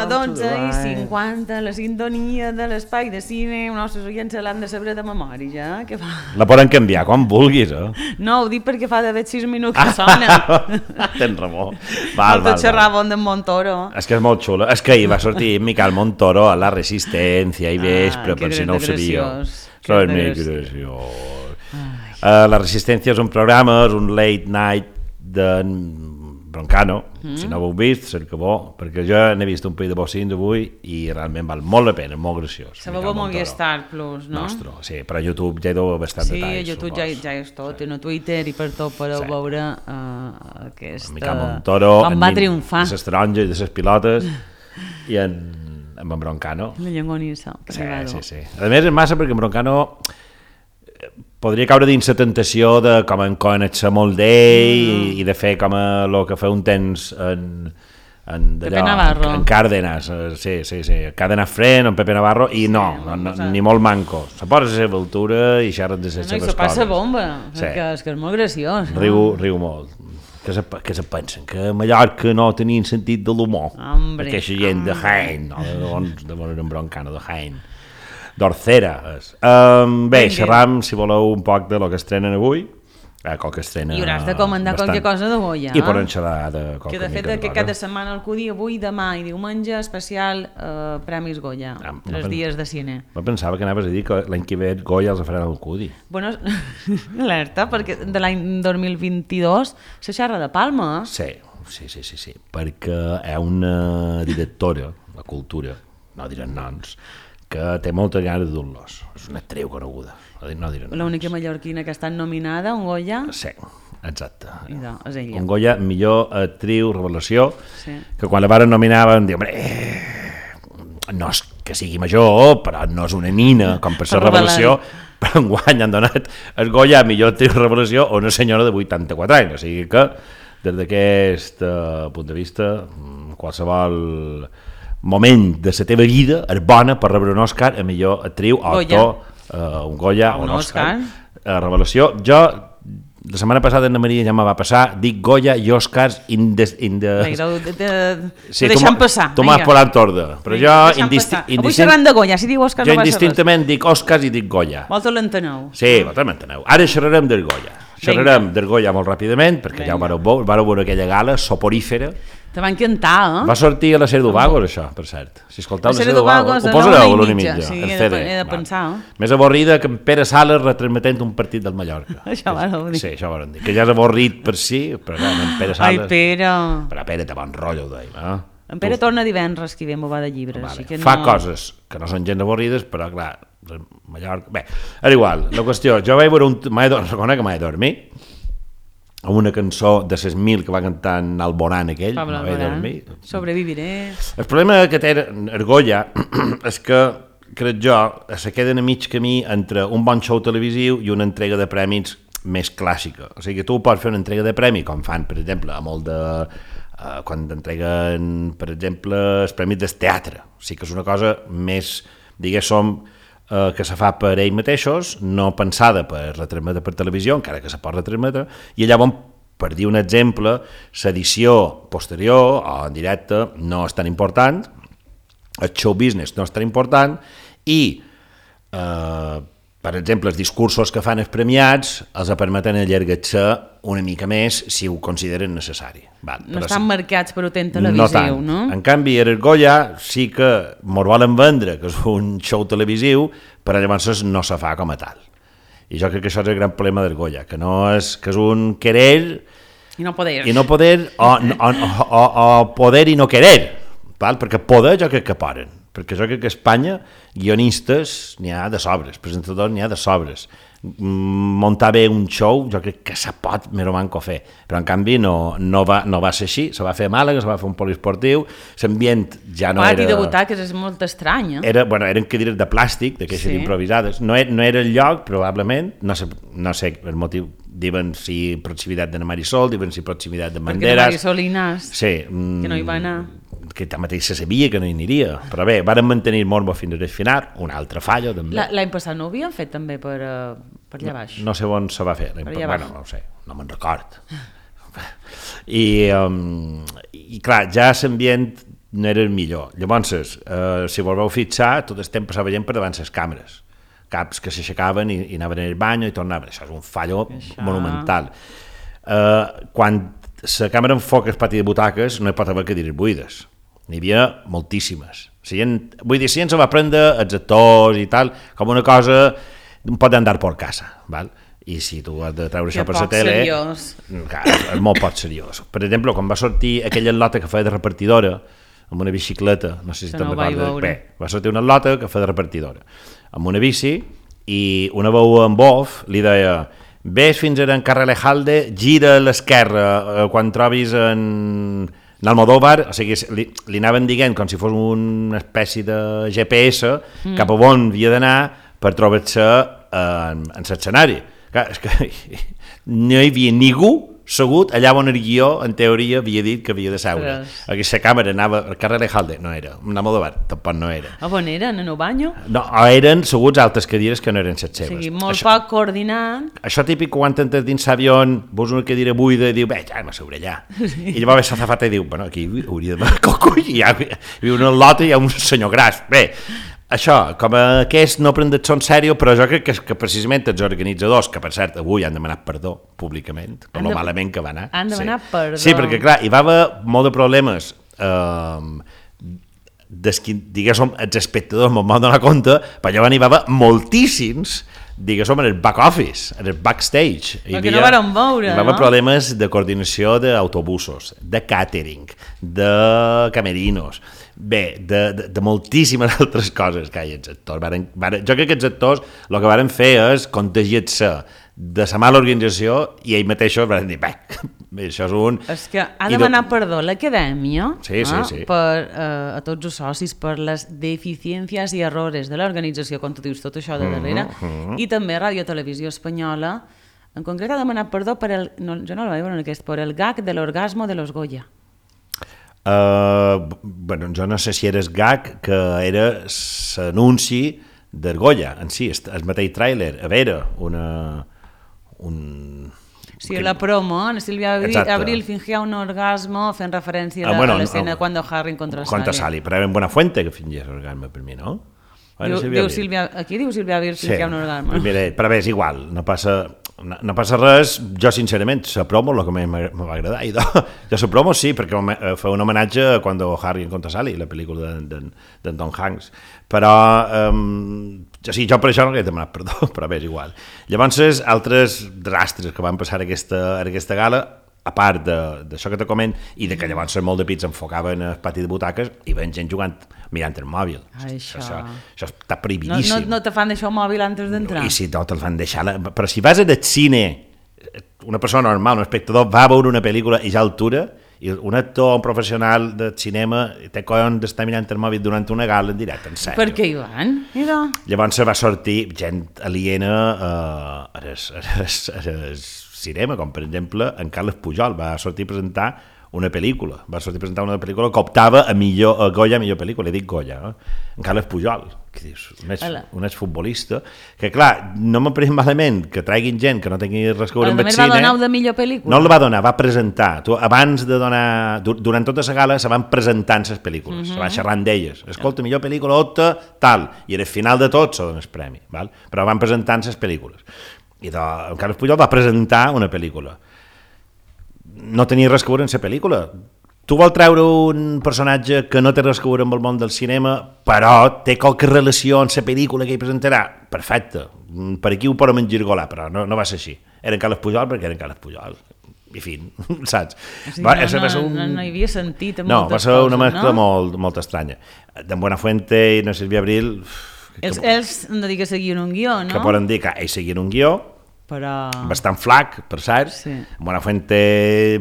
12:50, la sintonia de l'espai de cine, els nostres oients se l'han de saber de memòria, ja? Què fa? La poden canviar quan vulguis, No, ho dic perquè fa d'haver 6 minuts que sona. Tens raó. Tot xerràvem d'en Montoro. És que és molt xulo. És que ahir va sortir Miquel Montoro a La Resistencia i vespre, per si no ho sabíeu. Que graciós. La Resistencia és un programa, és un late night d'en Broncano. Si no ho heu vist, cerca-ho, perquè jo n'he vist un parell de bocins avui i realment val molt la pena, molt graciós. Se veu a Movistar Plus, no? Nostre, sí, però a YouTube ja hi deu bastant detalls. Sí, a YouTube ja és tot, i a Twitter i per tot podeu veure aquesta... Miquel Montoro, com va triomfar. De les taronges, de les pilotes, i en Broncano. La llongonissa. Sí. A més, és massa perquè en Broncano podria caure dins la tentació de com en conèixer molt d'ell i de fer com el que fa un temps en Pepe Navarro. En Cárdenas, sí, Cárdenas Fren, en Pepe Navarro, i no, ni molt manco. Se posa a la seva altura i xerra de les seves coses. I se passa bomba, perquè és que és molt graciós. Riu molt. Que se pensen? Que a Mallorca no tenien sentit de l'humor. Aquesta gent de Jaén, de en Broncano, de Jaén. d'Orcera. Bé, xerram, si voleu, un poc de lo que estrenen avui. Que estrena i hauràs de comentar qualque cosa de Goya. I poden xerrar de qualque que de fet que cada setmana el Cudi, avui, demà i diumenge, especial Premis Goya, 3 dies de cine. No pensava que anaves a dir que l'any que ve Goya els faran al Cudi. Bueno, alerta, perquè de l'any 2022 se xerra de Palma. Sí, perquè hi ha una directora de cultura, no direm noms, que té moltes ganes de dur-los. És una actriu coneguda. L'única mallorquina que ha estat nominada, un Goya. Sí, exacte. És ella. Un Goya, millor actriu, revelació, que quan la varen nominar van dir, no és que sigui major, però no és una nina, com per ser revelació, però enguany han donat el Goya a millor actriu, revelació, a una senyora de 84 anys. O sigui que, des d'aquest punt de vista, qualsevol moment de la teva vida és bona per rebre un Òscar a millor actriu o actor, un Goya o un Òscar. Revelació. Jo, la setmana passada Anna Maria ja me va passar, dic Goya i Òscars deixem passar. Tu m'has posat ordre, però jo avui xerrant de Goya, si diu Òscar no passa res. Jo indistintament dic Òscars i dic Goya. Vosaltres l'enteneu. Sí, vosaltres m'enteneu. Ara xerrarem del Goya. Xerrarem del Goya molt ràpidament, perquè ja ho vareu veure aquella gala soporífera. Te va encantar, Va sortir a la sèrie d'Uvagos, això, per cert. Si escolteu la sèrie d'Uvagos, ho posareu a l'una i mitja. Sí, he de pensar. Més avorrida que en Pere Sales retransmetent un partit del Mallorca. Això vareu dir. Sí, això vareu dir. Que ja és avorrit per si, però no, en Pere Sales... Ai, Pere! Però Pere té bon rotllo, ho deim, En Pere torna divendres, que ve m'ho va de llibres. Fa coses que no són gens avorrides, però clar, Mallorca... Bé, era igual, la qüestió, jo vaig veure reconec que m'he dormit, amb una cançó de les 1000 que va cantar en Alborán aquell, Pablo Alborán, Sobreviviré. El problema que té Goya és que, crec jo, se queden a mig camí entre un bon show televisiu i una entrega de premis més clàssica. O sigui que tu pots fer una entrega de premi, com fan, per exemple, a molt de... quan entreguen, per exemple, els premis del teatre. O sigui que és una cosa més, diguéssim, que se fa per ells mateixos, no pensada per retransmetre per televisió, encara que se pot retransmetre, i llavors, per dir un exemple, l'edició posterior o en directe no és tan important, el show business no és tan important, i, per exemple, els discursos que fan els premiats els permeten allargar-se una mica més si ho consideren necessari. No estan marcats per un televisiu, no? En canvi, el Goya sí que mos volen vendre que és un show televisiu, però llavors no se fa com a tal. I jo crec que això és el gran problema del Goya, que és un querer i no poder, o poder i no querer, perquè poder jo crec que poden. Perquè jo crec que a Espanya guionistes n'hi ha de sobres, presentadors n'hi ha de sobres. Muntar bé un show jo crec que se pot més o manco fer, però en canvi no va ser així, se va fer a Màlaga, se va fer un poliesportiu, l'ambient ja no era... I debutar, que és molt estrany, eren cadires de plàstic, d'aquestes improvisades, no era el lloc, probablement, no sé el motiu, diuen si proximitat de Marisol, diuen si proximitat de Banderas... Perquè de Marisol i Nas, que no hi va anar... que tanmateix se sabia que no hi aniria, però bé, varen mantenir el morbo fins al final, un altre fallo també. L'any passat no ho havien fet també per allà baix? No sé on se va fer, bueno, no ho sé, no me'n record. I clar, ja l'ambient no era el millor. Llavors, si volveu fixar, tot el temps passava gent per davant les càmeres. Caps que s'aixecaven i anaven al bany i tornaven. Això és un fallo monumental. Quan la càmera enfoca el pati de butaques no hi pot haver cadires buides. N'hi havia moltíssimes. Vull dir, si ens va prendre els actors i tal, com una cosa un pot andar per casa, val? I si tu has de treure això per la tele... És molt poc seriós. Per exemple, quan va sortir aquella lota que feia de repartidora, amb una bicicleta, no sé si te'n recordes. Bé, va sortir una lota que feia de repartidora, amb una bici, i una veu en off li deia: ves fins a en carrer Lejalde, gira a l'esquerra quan trobis en Almodóvar, o sigui, li anaven dient com si fos una espècie de GPS cap a on havia d'anar per trobar-se en l'escenari. És que no hi havia ningú segut allà on el guió, en teoria, havia dit que havia de seure. Aquesta càmera anava al carrer Lejalde, no era. Un Almodóvar, tampoc no era. A on eren? En el banyo? No, eren seguts altres cadires que no eren les seves. O sigui, molt poc coordinat. Això típic quan entres dins l'avió, veus una cadira buida i diu, bé, ja m'asseuré allà. I llavors l'azafata i diu, bueno, aquí hauria d'haver cocull, i hi ha una lota i hi ha un senyor gras. Bé, això, com aquest no prendet son sèrio, però jo crec que precisament els organitzadors, que per cert avui han demanat perdó públicament, per lo malament que va anar. Han demanat perdó. Sí, perquè clar, hi va haver molt de problemes, diguéssim, els espectadors me'n van donar compte, però llavors hi va haver moltíssims, diguéssim, en el back office, en el backstage. Perquè no varen veure, no? Hi va haver problemes de coordinació d'autobusos, de catering, de camerinos, bé, de moltíssimes altres coses que hi ha els actors. Jo crec que els actors el que varen fer és contagiar-se de la mala organització i ells mateixos van dir, bé, això és un... És que ha demanat perdó l'acadèmia sí. a tots els socis per les deficiències i errores de l'organització, com tu dius, tot això de darrere, i també Radio Televisió Espanyola, en concret ha demanat perdó per el, no, jo no el vaig veure en aquest, per el gag de l'orgasmo de los Goya. Bueno, jo no sé si era el gag que era l'anunci del Goya en si, el mateix tràiler, a veure, Sí, la promo, Silvia Abril fingía un orgasmo fent referència a l'escena quan Harry contra Sally. Però era en Buenafuente que fingia l'orgasme per mi, no? Aquí diu Silvia Abril fingia un orgasme. Però bé, és igual, no passa res. Jo sincerament, la promo és el que més m'va agradar. Jo la promo sí, perquè fa un homenatge a quan Harry contra Sally, la pel·lícula d'en Tom Hanks, però jo per això no li he demanat perdó, però bé, és igual. Llavors, altres rastres que van passar a aquesta gala, a part d'això que te coment, i de que llavors molt de pits enfocaven el pati de butaques i ven gent jugant, mirant el mòbil. Això està prohibidíssim. No te fan deixar el mòbil antes d'entrar? I si no, te'l fan deixar. Però si vas al cine, una persona normal, un espectador, va a veure una pel·lícula i ja altura, i un actor, un professional de cinema, té collons d'estar mirant el mòbil durant una gala en directe, en sèrio. Per què hi van? Llavors va sortir gent aliena a cinema, com per exemple en Carles Pujol va sortir a presentar una pel·lícula, que optava a Goya, millor pel·lícula, he dit Goya, en Carles Pujol, que dius, un exfutbolista, que clar, no m'ha pres malament que traguin gent que no tingui res a veure amb el cine. Va donar de millor pel·lícula? No el va donar, va presentar. Abans de donar, durant tota la gala se van presentant les pel·lícules, se va xerrant d'elles. Escolta, millor pel·lícula, tal, i al final de tot se dona el premi, però van presentant les pel·lícules. I en Carles Pujol va presentar una pel·lícula. No tenia res a veure en la pel·lícula. Tu vols treure un personatge que no té res a veure amb el món del cinema, però té qualque relació amb la pel·lícula que hi presentarà? Perfecte. Per aquí ho podem engergolar, però no va ser així. Era en Carles Pujol perquè era en Carles Pujol. I fin, saps? No hi havia sentit en moltes coses, no? No, va ser una mescla molt estranya. D'en Buenafuente i na Silvia Abril... Ells han de dir que seguien un guió, no? Que poden dir que ells seguien un guió, però... bastant flac, per cert. Sí. Buenafuente,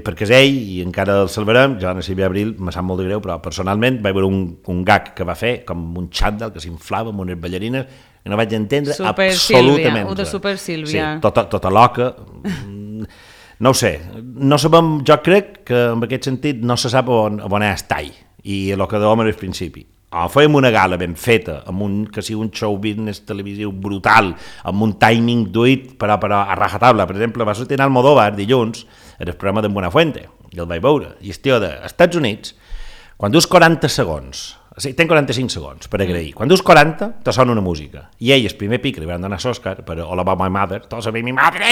perquè és ell, i encara el salvarem. Jo, a Silvia Abril, me sap molt de greu, però personalment vaig veure un gag que va fer, com un xandall que s'inflava amb unes ballarines, i no vaig entendre absolutament. Super Super Sílvia. Sí, tota loca. No ho sé. No sabem, jo crec que en aquest sentit no se sap on és tall, i el que dèiem al principi. O fèiem una gala ben feta, amb que sigui un show business televisiu brutal, amb un timing duit, però a rajatabla. Per exemple, va sortir en Almodóvar dilluns, en el programa d'en Buenafuente, i el vaig veure. I el tio dels Estats Units, Quan dius 40 segons, o sigui, ten 45 segons per agrair. Quan dius 40, te sona una música. I ell, el primer pic, li van donar l'Òscar per All About My Mother, tots sabem mi madre,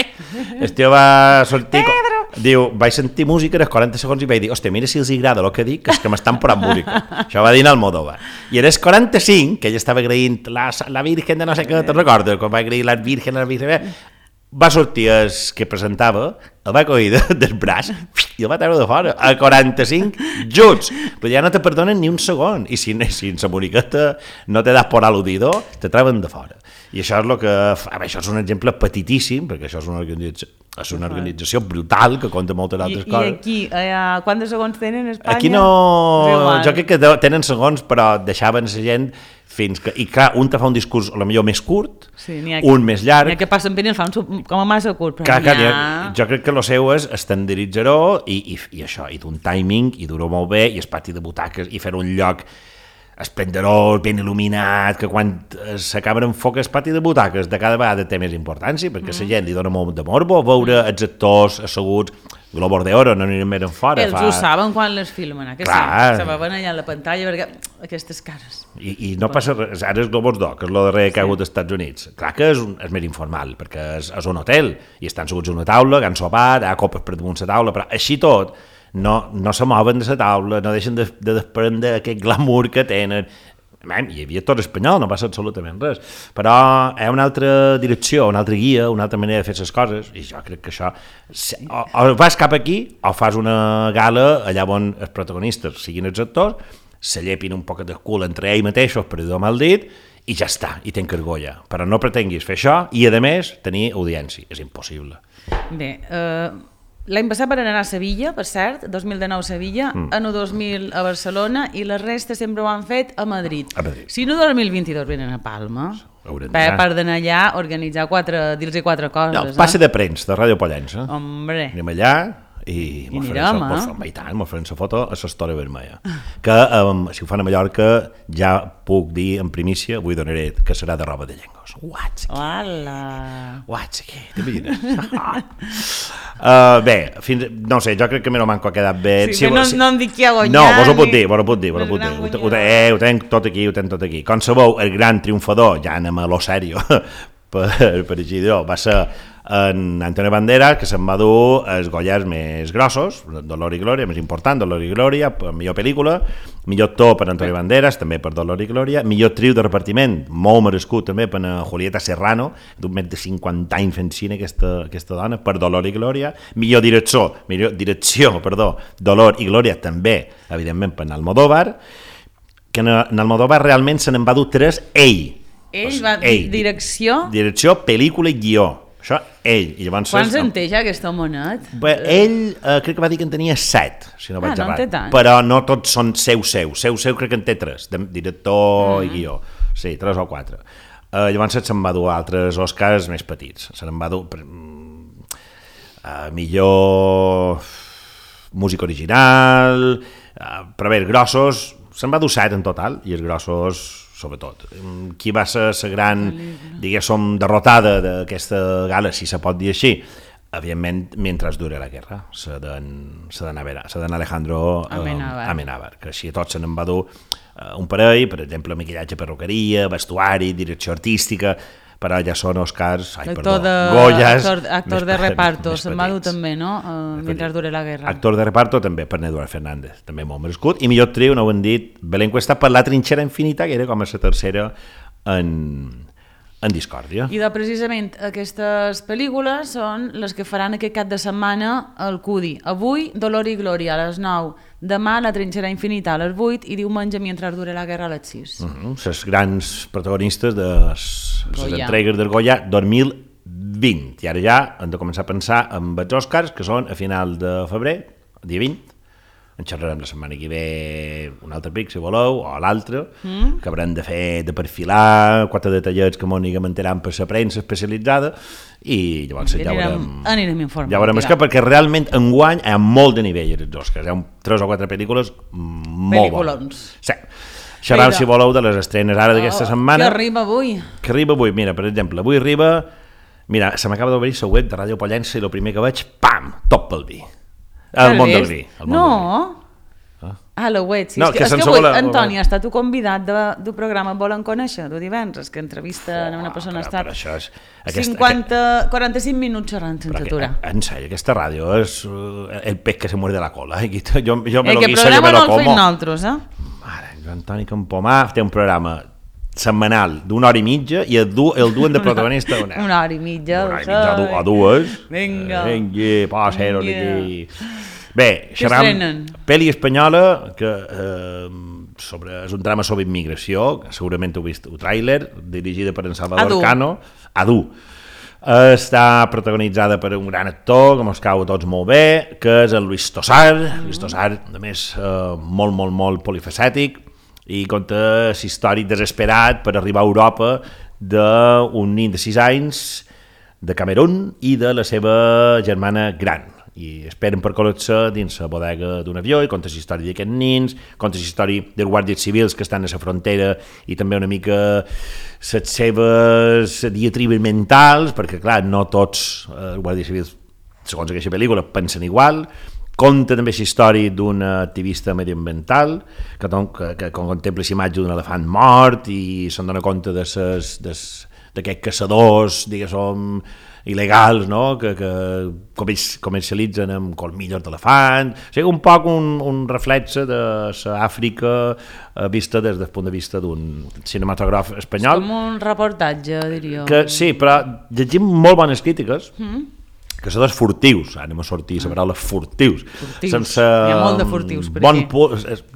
el tio va sortir... Diu, vaig sentir música dels 40 segons i vaig dir, hòstia, mira si els agrada el que dic, que és que m'estan posant música. Això va dir en Almodóvar. I era el 45, que ell estava agraint la Virgen de no sé què, te'n recordes? Quan va agrair la Virgen, va sortir el que presentava, el va coir del braç i el va treure de fora, a 45 juts. Però ja no te perdonen ni un segon. I si en la moniqueta no te das por al·ludido, te treuen de fora. I això és el que... això és un exemple petitíssim, perquè això és una organització brutal que compta moltes altres coses. I aquí, quants segons tenen a Espanya? Aquí no... Jo crec que tenen segons, però deixaven la gent fins que... I clar, un te fa un discurs potser més curt, un més llarg... N'hi ha que passen pena i el fan com a massa curt, però jo crec que el seu és estandarditzar-ho i això, i d'un timing, i dur-ho molt bé, i el pati de butaques, i fer un lloc esplendorós, ben il·luminat, que quan s'acaben en foc el pati de butaques de cada vegada té més importància, perquè la gent li dona molt de morbo veure els actors asseguts, Globos d'Oro, no anirem més en fora. Ells ho saben quan les filmen, que sí, se veuen allà a la pantalla, perquè aquestes cares... I no passa res, ara és Globos d'Or, que és el darrer que ha hagut als Estats Units. Clar que és més informal, perquè és un hotel, i estan asseguts a una taula, que han sopat, hi ha copes per damunt la taula, però així tot, no se mouen de la taula, no deixen de desprendre aquest glamour que tenen. Hi havia tot espanyol, no passa absolutament res, però hi ha una altra direcció, una altra guia, una altra manera de fer les coses, i jo crec que això, o vas cap aquí, o fas una gala allà on els protagonistes siguin els actors, se llepin un poc de cul entre ells mateixos, per dir-ho mal dit, i ja està, i ten cargolla. Però no pretenguis fer això i, a més, tenir audiència. És impossible. Bé, l'any passat van anar a Sevilla, per cert, 2019 a Sevilla, ano 2000 a Barcelona, i la resta sempre ho han fet a Madrid. Si no 2022 venen a Palma, per d'anar allà a organitzar dir-los quatre coses. No, passe de premsa, de Ràdio Pollença. Hombre. Anem allà i m'ho farem la foto a l'Història Vermella. Que si ho fan a Mallorca ja puc dir en primícia, avui donaré que serà de roba de llengos. Què? T'imagines? Bé, no sé, jo crec que Meno Manco ha quedat bé. No em dic qui ha guanyat. No, vos ho puc dir. Ho tenc tot aquí. Com sabeu, el gran triomfador, ja anem a lo serio, per així dir-ho, va ser en Antonio Banderas, que se'n va dur els Goyas més grossos, Dolor i Glòria, més important, Dolor i Glòria, millor pel·lícula, millor actor per Antonio Banderas, també per Dolor i Glòria, millor trio de repartiment, molt merescut també per Julieta Serrano, d'un més de 50 anys fent cine aquesta dona, per Dolor i Glòria, millor direcció, Dolor i Glòria també, evidentment per Almodóvar, que en Almodóvar realment se n'en va dur 3 ell. Ell va direcció? Direcció, pel·lícula i guió. Això, ell. Quants en té ja aquest homonet? Ell crec que va dir que en tenia 7, si no vaig errat. No en té tant. Però no tots són seu. Seu crec que en té 3, director i guió. Sí, 3 o 4. Llavors se'n va dur altres Oscars més petits. Se n'en va dur millor música original, però bé, els grossos, se'n va dur 7 en total, i els grossos sobretot. Qui va ser la gran, diguéssim, derrotada d'aquesta gala, si se pot dir així? Evidentment, mentre dure la guerra, se d'en Alejandro Amenábar, que així a tots se n'en va dur un parell, per exemple, maquillatge, perruqueria, vestuari, direcció artística, però ja són Oscars, Goyas... Actor de reparto, se'n va dur també, no? Mentre dure la guerra. Actor de reparto també per Eduard Fernández, també molt merescut, i millor trio, no ho hem dit, Belén Cuesta per La trinxera infinita, que era com a la tercera en discòrdia. I precisament aquestes pel·lícules són les que faran aquest cap de setmana al Cudi. Avui, Dolor i Glòria a les 9, demà La trinxera infinita a les 8 i diumenge Mentre dure la guerra a les 6. Les grans protagonistes de les entregues del Goya 2020. I ara ja hem de començar a pensar en els Oscars, que són a final de febrer, dia 20. En xerrarem la setmana que ve un altre pic, si voleu, o l'altre, que haurem de fer, de perfilar 4 detallets que m'ho mantenen per la premsa especialitzada, i llavors ja anirem informant. Ja veurem perquè realment enguany hi ha molt de nivell als Oscars, hi ha 3 o 4 pel·lícules molt bones. Sí. Xerram, si voleu, de les estrenes ara d'aquesta setmana. Que arriba avui? Mira, per exemple, avui arriba... Mira, se m'acaba d'obrir la web de Ràdio Pollença i el primer que veig, pam, Top pel vi. El món del vi. No? La web, sí. No, és que avui, Antoni, ha estat convidat del programa Volen Conèixer, de divendres, que entrevista una persona ha estat 45 minuts xerrant sense aturar. En sèrio, aquesta ràdio és el pez que se muerde la cola. Jo me lo guiso, yo me lo como. El programa no el fem nosaltres, Mare, Antoni Campomà té un programa setmanal d'una hora i mitja i el duen de protagonista una hora i mitja o dues. Vinga, passa-ho aquí. Bé, xerram pel·li espanyola que és un drama sobre immigració, segurament heu vist el tràiler, dirigida per en Salvador Cano, Adu. Està protagonitzada per un gran actor que mos cau a tots molt bé, que és el Luis Tosar. Luis Tosar, a més, molt polifacètic, i conta la història desesperat per arribar a Europa d'un nen de 6 anys de Camerún i de la seva germana gran, i esperen per col·locar-se dins la bodega d'un avió, i conta la història d'aquests nens, conta la història dels guàrdies civils que estan a la frontera i també una mica les seves diatribes mentals, perquè clar, no tots els guàrdies civils, segons aquesta pel·lícula, pensen igual. Conta també la història d'un activista medioambiental que contempla la imatge d'un elefant mort i se'n dona compte d'aquests caçadors, diguéssim, il·legals, no? que comercialitzen amb colmillos d'elefant. O sigui, un poc un reflexe de l'Àfrica vista des del punt de vista d'un cinematògraf espanyol. És com un reportatge, diria. Sí, però llegim molt bones crítiques, caçadors furtius, anem a sortir la paraula furtius. Sense, hi ha molt de furtius per aquí.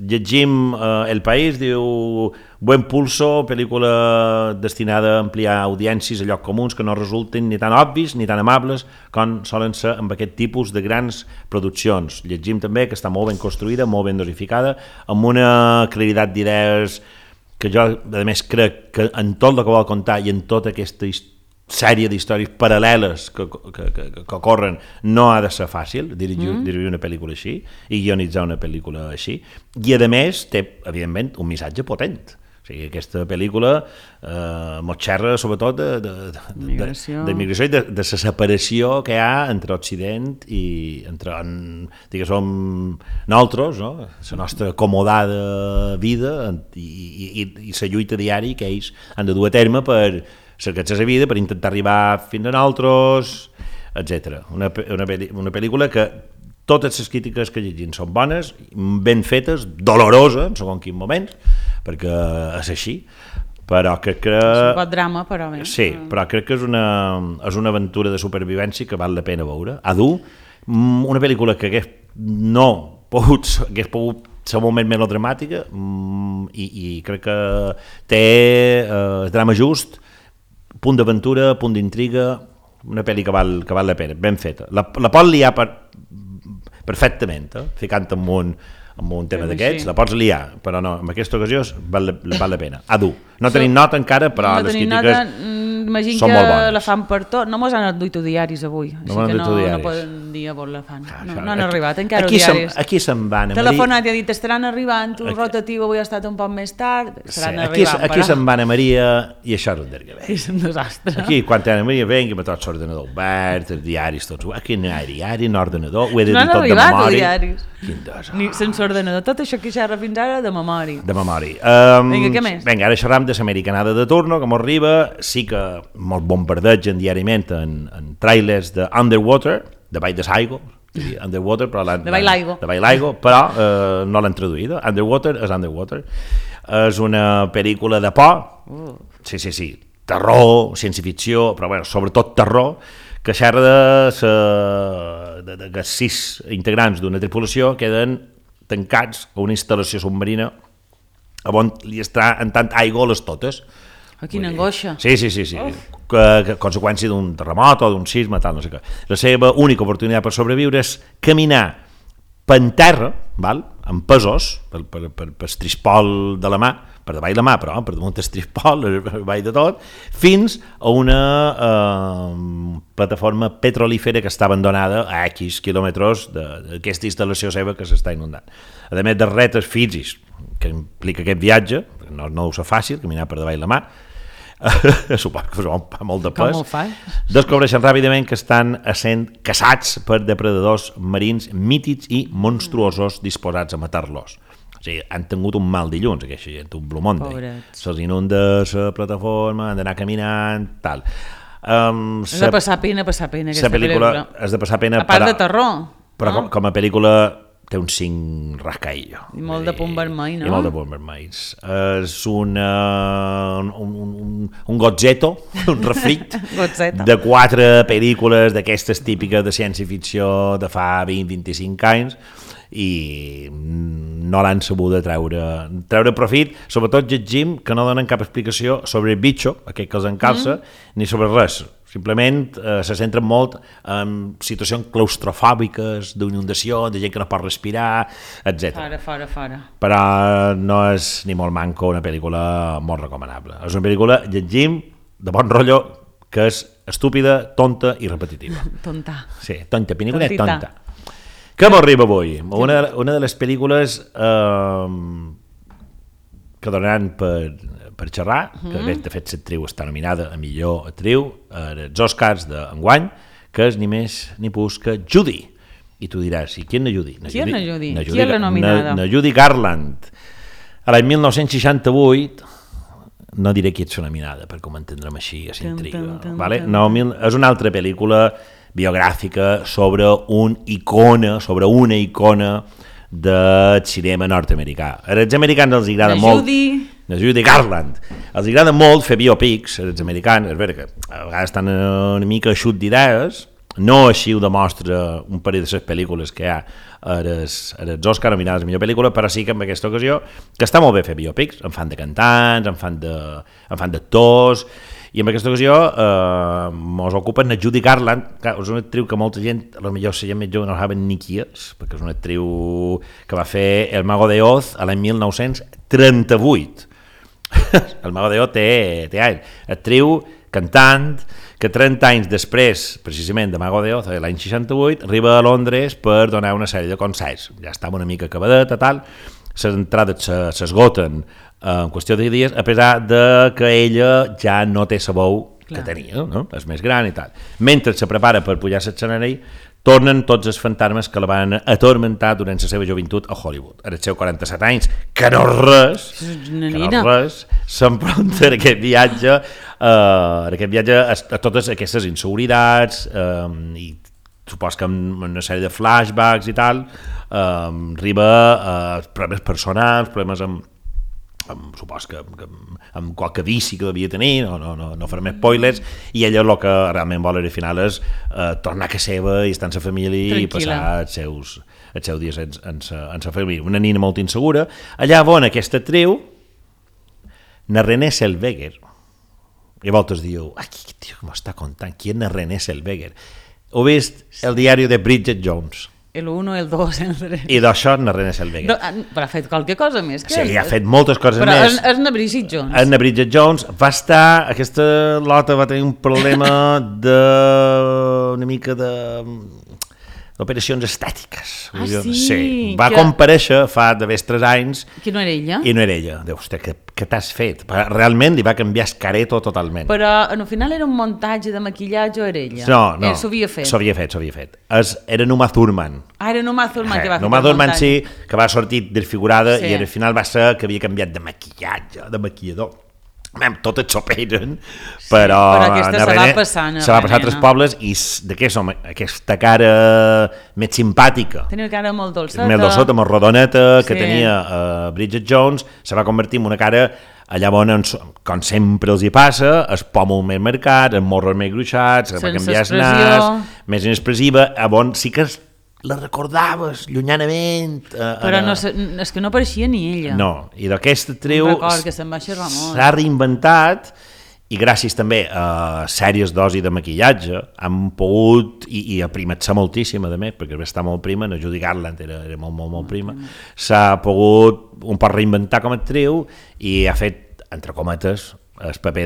Llegim El País, diu buen pulso, pel·lícula destinada a ampliar audiències a llocs comuns que no resulten ni tan obvis ni tan amables com solen ser amb aquest tipus de grans produccions. Llegim també que està molt ben construïda, molt ben dosificada, amb una claritat d'idees que jo, a més, crec que en tot el que vol contar i en tota aquesta sèrie d'històries paral·leles que ocorren no ha de ser fàcil dirigir una pel·lícula així i guionitzar una pel·lícula així, i a més té, evidentment, un missatge potent. O sigui, aquesta pel·lícula mos xerra sobretot d'immigració i de la separació que hi ha entre Occident i entre, diguéssim, nosaltres, no? La nostra acomodada vida i la lluita diària que ells han de dur a terme per cercar-se la vida, per intentar arribar fins a nosaltres, etc. Una pel·lícula que totes les crítiques que llegim són bones, ben fetes, doloroses en segons quins moments, perquè és així, però crec que... És un pot drama, però bé. Sí, però crec que és una aventura de supervivència que val la pena veure. Adu, una pel·lícula que hagués pogut ser molt més melodramàtica i crec que té el drama just, punt d'aventura, punt d'intriga, una pel·li que val la pena, ben feta. La pot liar perfectament, ficant en un tema d'aquests, la pots liar, però no, en aquesta ocasió val la pena. Adu. No tenim nota encara, però les crítiques imagino són molt bones. Que la fan per tot. No mos han duit diaris avui, així que no poden dir a on la fan. No han arribat encara els diaris. Aquí se'n van. Telefonat i ha dit, estaran arribant, un rotatiu avui ha estat un poc més tard, estaran arribant. Aquí se'n va Anna Maria i això és un derguer. És un desastre. Aquí, quan Anna Maria vengui, amb tot l'ordenador obert, els diaris tots, aquí no hi ha diari, no ordenador, ho he de dir tot de memòria. No han arribat els diaris. Quin desastre. Ni sense ordenador, tot això que xerra fins ara de memòria. De memòria. Vinga, què més? Vinga, ara xerram de l'americanada de turno, que m'arriba, sí que molt bombardegen diàriament en trailers de Underwater, de Vall de Saigo, Underwater, però de Vall Laigo, però no l'han traduïda. Underwater és Underwater. És una pel·lícula de por, sí, terror, ciència-ficció, però bueno, sobretot terror, que xerra de 6 integrants d'una tripulació queden tancats a una instal·lació submarina on li està entrant aigua a les totes. Quina angoixa. Sí. Que conseqüència d'un terremot o d'un sisme, tal, no sé què. La seva única oportunitat per sobreviure és caminar per terra, amb pesos, per estrispol de la mà, per davall la mà, però per damunt estrispol, per davall de tot, fins a una plataforma petrolífera que està abandonada a X quilòmetres d'aquesta instal·lació seva que s'està inundant. A més de retes físics que implica aquest viatge, no ho és fàcil, caminar per davall la mà, suposo que fa molt de Com pes, ho fas? descobreixen ràpidament que estan essent caçats per depredadors marins mítics i monstruosos disposats a matar-los. O sigui, han tingut un mal dilluns, aquesta gent, un Blue Monday. Pobrets. Se'ls inunda la plataforma, han d'anar caminant, tal. És de passar pena aquesta pel·lícula. És de passar pena. A part de terror. Però no? com a pel·lícula té un 5 rascaillo. I molt de punt vermell, no? I molt de punt vermell. És un gotzeto, un refrit de 4 pel·lícules d'aquestes típiques de ciència-ficció de fa 20-25 anys i no l'han sabut de treure profit, sobretot llegim que no donen cap explicació sobre el bitxo, aquest que els encalça, ni sobre res. Simplement se centren molt en situacions claustrofòbiques, d'inundació, de gent que no pot respirar, etc. Fora. Però no és ni molt manco una pel·lícula molt recomanable. És una pel·lícula, llegim, de bon rotllo, que és estúpida, tonta i repetitiva. Tonta. Sí, tonta, pel·lícula tonta. Què m'arriba avui? Una de les pel·lícules que donaran per xerrar, que de fet l'actriu està nominada a millor actriu als Oscars d'enguany, que és ni més ni menys que Judy. I tu diràs, i qui és na Judy? Qui és na Judy? Qui és la nominada? Na Judy Garland. A l'any 1968, no diré qui ets nominada, perquè ho entendrem així, a s'intriga. No, és una altra pel·lícula biogràfica sobre una icona del cinema nord-americà. Als americans els agrada molt... La Judy Garland. Els agrada molt fer biopics, als americans, és veritat que a vegades estan una mica eixut d'idees, no així ho demostra un parell de les pel·lícules que hi ha als Oscars nominades a millor pel·lícula, però sí que en aquesta ocasió, que està molt bé fer biopics, en fan de cantants, en fan d'actors, i en aquesta ocasió mos ocupen la Judy Garland, que és una actriu que molta gent, potser la gent més jove no saben ni qui és, perquè és una actriu que va fer El Mago de Oz a l'any 1938. El Mago de Oz té anys. Actriu, cantant, que 30 anys després, precisament, de Mago de Oz, l'any 68, arriba a Londres per donar una sèrie de concerts. Ja estava una mica acabadeta, tal, les entrades s'esgoten en qüestió de dies, a pesar de que ella ja no té la veu que tenia, no? És més gran i tal. Mentre se prepara per pujar a l'escenari, tornen tots els fantasmes que la van atormentar durant la seva joventut a Hollywood. En els seus 47 anys, que no res, s'enfronta en aquest viatge a totes aquestes inseguritats i supos que amb una sèrie de flashbacks i tal, arriba a problemes personals, problemes supos que amb qualque vici que devia tenir, no farem spoilers, i ella el que realment vol al final és tornar a casa seva i estar amb la família i passar els seus dies en la família. Una nina molt insegura. Allà on aquesta actriu, na Renée Zellweger, i a voltes diu, aquest tio que m'està contant, qui és na Renée Zellweger? He vist el diari de Bridget Jones. El 1, el 2, el 3... I d'això na Renée Zellweger. Però ha fet qualque cosa més. Sí, ha fet moltes coses més. Però és na Bridget Jones. És na Bridget Jones. Va estar... Aquesta lota va tenir un problema una mica d'operacions estètiques. Sí. Va comparèixer fa d'haver 3 anys. Que no era ella? I no era ella. Déu, hòstia, què t'has fet? Realment li va canviar el careto totalment. Però al final era un muntatge de maquillatge o era ella? No. S'ho havia fet. S'ho havia fet. Era Uma Thurman. Era Uma Thurman que va fer Uma el Thurman muntatge. sí, que va sortir desfigurada i al final va ser que havia canviat de maquillatge, de maquillador. Tot et s'operen, però aquesta se va passar a 3 pobles i de què som? Aquesta cara més simpàtica, tenia una cara molt dolçota, molt rodoneta que tenia Bridget Jones, se va convertir en una cara allà on, com sempre els hi passa, el pòmul més marcat, els morros més gruixats, va canviar el nas, més inexpressiva, on sí que la recordaves llunyanament. Però és que no apareixia ni ella. No, i d'aquesta actriu s'ha reinventat i gràcies també a sèries dosi de maquillatge han pogut, i a primat-se moltíssim, a més, perquè està molt prima, la Judy Garland era molt prima, s'ha pogut un poc reinventar com a actriu i ha fet, entre cometes, el paper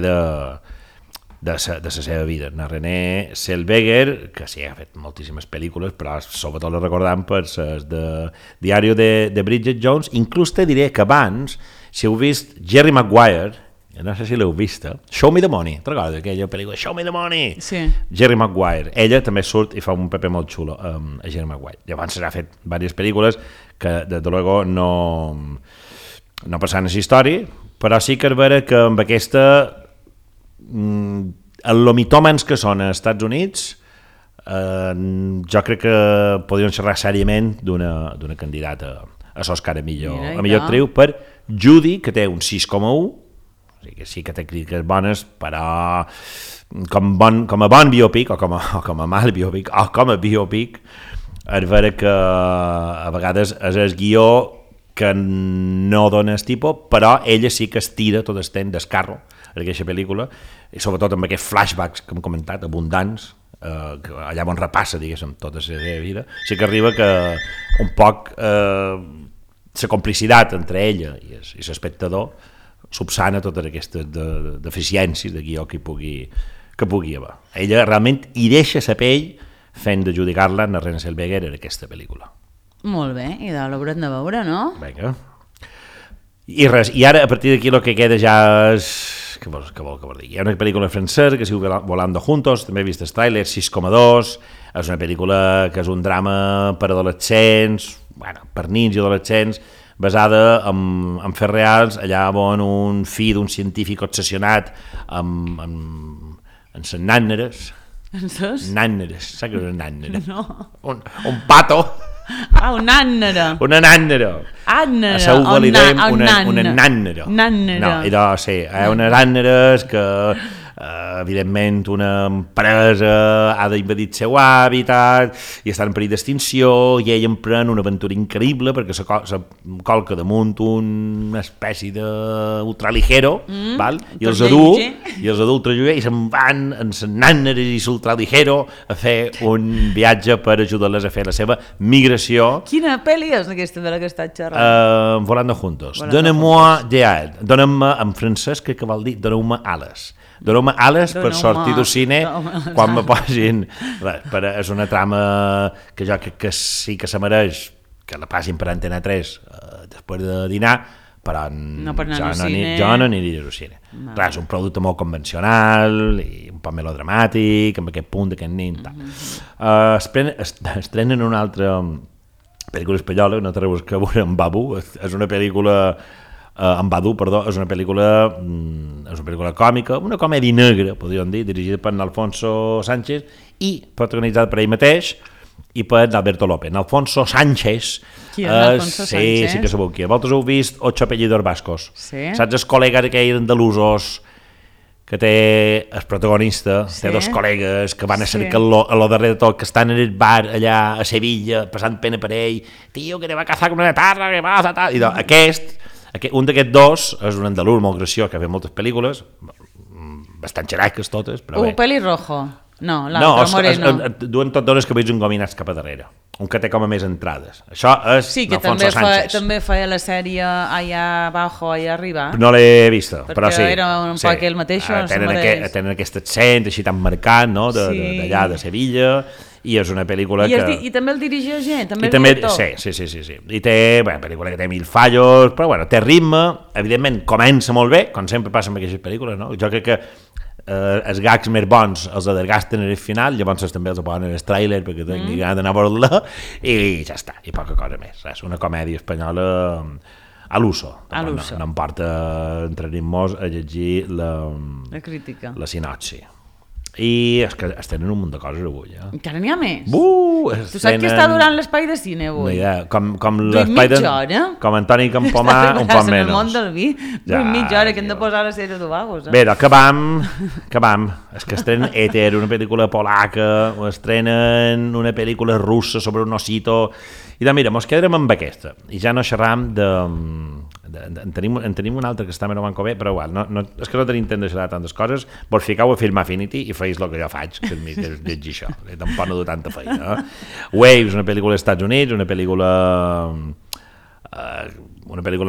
de la seva vida. La Renée Zellweger, que sí, ha fet moltíssimes pel·lícules, però sobretot la recordam per les de Diari de Bridget Jones. Inclús te diré que abans, si heu vist Jerry Maguire, no sé si l'heu vista, Show Me the Money, te'n recordes aquella pel·lícula Show Me the Money? Sí. Jerry Maguire, ella també surt i fa un paper molt xulo a Jerry Maguire. Llavors s'ha fet diverses pel·lícules que, de luego, no passaven a la història, però sí que és vera que amb aquesta els lomitòmens que són als Estats Units jo crec que podrien xerrar sèriament d'una candidata a l'Oscar a millor actriu per Judy, que té un 6,1, o sigui que sí que té crítiques bones, però com a bon biopic o com a mal biopic o com a biopic és vera que a vegades és el guió que no dona el tipus, però ella sí que es tira tot el temps del carro en aquesta pel·lícula, i sobretot amb aquests flashbacks que hem comentat, abundants, que allà on repassa, diguéssim, tota la seva vida, sí que arriba que un poc la complicitat entre ella i l'espectador subsana totes aquestes deficiències de guió que pugui haver. Ella realment hi deixa la pell fent de Judy Garland a Renée Zellweger en aquesta pel·lícula. Molt bé, i de l'haurem de veure, no? Vinga. I res, i ara a partir d'aquí el que queda ja és... Què vol dir? Hi ha una pel·lícula francesa que es diu Volando Juntos, també he vist el tràiler, 6,2, és una pel·lícula que és un drama per adolescents, bueno, per nins i adolescents, basada en fets reals, allà on un fill d'un científic obsessionat amb les nàneres. Nàneres, saps què és una nànera? No. Un pato. Una nànera. Una nànera. Ànera. A Seúl li dèiem una nànera. Nànera. No, idò, sí, hi ha unes nàneres que, evidentment, una empresa ha d'invadir el seu hàbitat i està en perill d'extinció i ell emprèn una aventura increïble perquè se colca damunt una espècie d'ultraligero, val? I els ultraligero i se'n van en les nàneres i l'ultraligero a fer un viatge per ajudar-les a fer la seva migració. Quina pel·li és aquesta de la que estàs xerrant? Volando Juntos. Donnez-moi des ailes. Dóna'm, en francès crec que vol dir doneu-me ales. Doneu-me ales per sortir del cine quan me posin... És una trama que jo crec que sí que se mereix que la passin per Antena 3 després de dinar, però jo no aniria al cine. Clar, és un producte molt convencional i un poc melodramàtic, amb aquest punt d'aquest nin. Estrenen una altra pel·lícula espanyola, no té res que veure amb Babu, és una pel·lícula... en Badu, perdó, és una pel·lícula còmica, una comèdia negra, podríem dir, dirigida per Alfonso Sánchez i protagonitzada per ell mateix i per Alberto López. Alfonso Sánchez. Qui és Alfonso Sánchez? Sí que sabeu qui. Vosaltres heu vist Ocho apellidos vascos. Sí. Saps els col·legues aquells andalusos que té el protagonista, té dos col·legues que van a cercar-lo a lo darrere de tot, que estan en el bar allà a Sevilla, passant pena per ell, tio, que te va a cazar con una tarra, que passa, tal. I un d'aquests dos és un andalús molt graciós que ha fet moltes pel·lícules, bastant xeraques totes, però bé. Pelirrojo. No, l'altre, moreno. Duen tot dones cabells engominats cap a darrere. Un que té com a més entrades. Això és Alfonso Sánchez. També feia la sèrie Allá abajo, allá arriba. No l'he vista, però sí. Perquè era un poc el mateix. Tenen aquest accent així tan marcat, no? D'allà, de Sevilla, i és una pel·lícula I també el dirigeix també el director. Sí. I té, pel·lícula que té 1000 fallos, però té ritme, evidentment comença molt bé, com sempre passa amb aquestes pel·lícules, no? Jo crec que els gags més bons els adergasten en el final, llavors també els posen en el tràiler perquè tingui ganes d'anar a veure-la i ja està, i poca cosa més. És una comèdia espanyola a l'uso. No em porta entretenir-nos a llegir la crítica, la sinopsi. I és que es tenen un munt de coses avui. Encara n'hi ha més? Tu saps què està durant l'espai de cine avui? Com l'espai de... Com Antoni Campomà, un poc menys. En el món del vi, mitja hora que hem de posar la sèrie de Vagos. Bé, doncs que vam. És que estrenen Éter, una pel·lícula polaca, o estrenen una pel·lícula russa sobre un osito... I doncs mira, mos quedarem amb aquesta. I ja no xerram de... En tenim una altra que està menys bé, però igual, és que no tenim temps de xerrar tantes coses. Vos ficau a Film Affinity i feis el que jo faig, que és llegir això. Tampoc no du tanta feina. Waves, una pel·lícula dels Estats Units, una pel·lícula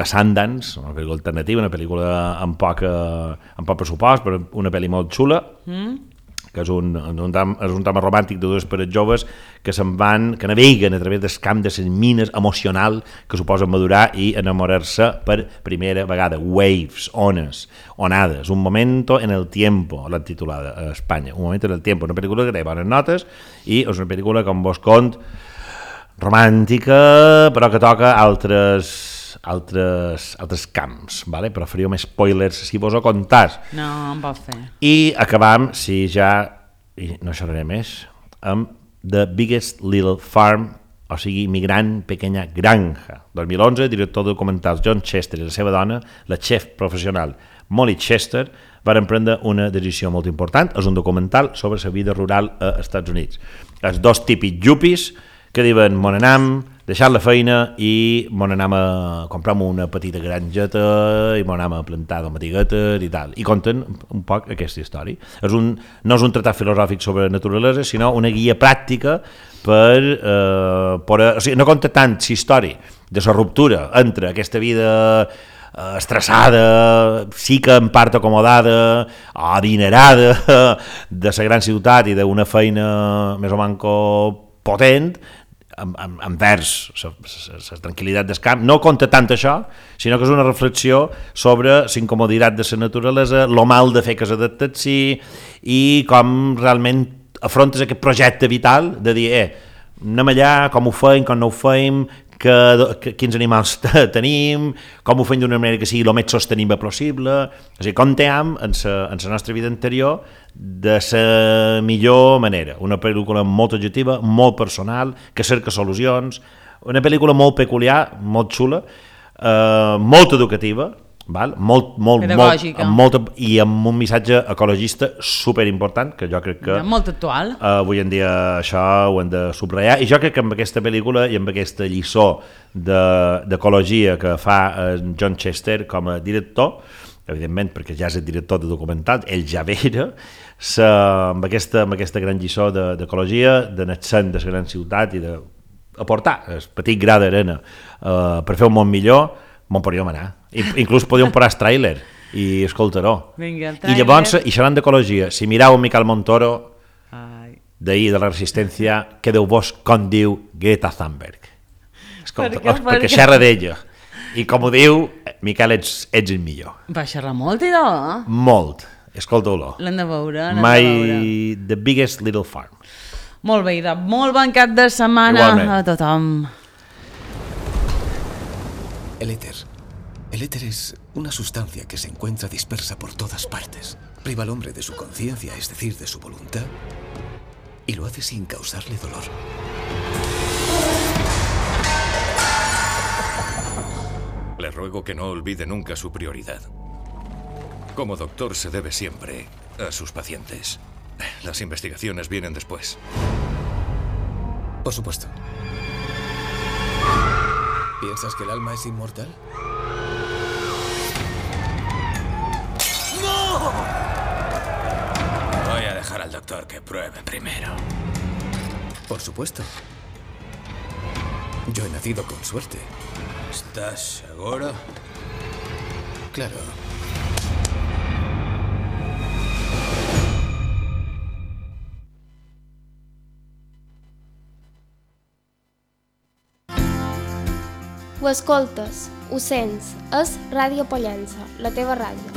Sundance, una pel·lícula alternativa, una pel·lícula amb poc pressupost, però una pel·li molt xula, que és un drama romàntic de dues parets joves que naveguen a través del camp de les mines emocional que suposen madurar i enamorar-se per primera vegada. Waves, ones, onades, un momento en el tiempo, l'han titulada a Espanya, un momento en el tiempo, una pel·lícula que té bones notes i és una pel·lícula, com vos cont, romàntica, però que toca altres camps, ¿vale? Però faríeu més spoilers si vos ho contàs. No, em pot fer. I acabam, si ja, i no xerraré més, amb The Biggest Little Farm, o sigui, Mi gran pequeña granja. 2011, director de documentals John Chester i la seva dona, la chef professional Molly Chester, van prendre una decisió molt important. És un documental sobre la vida rural als Estats Units. Els dos típics yuppies que diuen, mon anam, deixar la feina i mon anam a comprar una petita granjeta i mon anam a plantar tomatiguetes i tal. I conten un poc aquesta història. No és un tractat filosòfic sobre naturalesa, sinó una guia pràctica o sigui, no conta tant la història de la ruptura entre aquesta vida estressada, sí que en part acomodada, adinerada de la gran ciutat i d'una feina més o manco potent, envers la tranquil·litat del camp. No conta tant això, sinó que és una reflexió sobre la incomoditat de la naturalesa, lo mal de fer que s'adaptaci i com realment afrontes aquest projecte vital de dir, anem allà, com ho feim, com no ho feim, quins animals tenim, com ho fem d'una manera que sigui el més sostenible possible. O sigui, contem en la nostra vida anterior de la millor manera. Una pel·lícula molt objectiva, molt personal, que cerca solucions, una pel·lícula molt peculiar, molt xula, molt educativa, val? Molt pedagògica, i amb un missatge ecologista superimportant, que jo crec que molt actual. Avui en dia això ho hem de subratllar, i jo crec que amb aquesta pel·lícula i amb aquesta lliçó d'ecologia que fa John Chester com a director, evidentment perquè ja és el director de documentals, ell ja era, amb aquesta gran lliçó d'ecologia, d'anar sent de la gran ciutat i d'aportar el petit gra d'arena per fer un món millor, m'on podríem anar. Inclús podríem posar el tràiler i escoltar-ho. I llavors, i xerrant d'ecologia, si mireu Miquel Montoro d'ahir de la Resistència, quedeu-vos com diu Greta Thunberg. Escolta, perquè xerra d'ella. I com ho diu, Miquel, ets el millor. Va xerrar molt, idò? Molt. Escolta-ho. L'hem de veure. The Biggest Little Farm. Molt bé, idò. Molt bon cap de setmana a tothom. El éter es una sustancia que se encuentra dispersa por todas partes. Priva al hombre de su conciencia, es decir, de su voluntad, y lo hace sin causarle dolor. Le ruego que no olvide nunca su prioridad. Como doctor se debe siempre a sus pacientes. Las investigaciones vienen después. Por supuesto. ¿Piensas que el alma es inmortal? ¡No! Voy a dejar al doctor que pruebe primero. Por supuesto. Yo he nacido con suerte. ¿Estás seguro? Claro. Ho escoltes, ho sents, és Ràdio Pollença, la teva ràdio.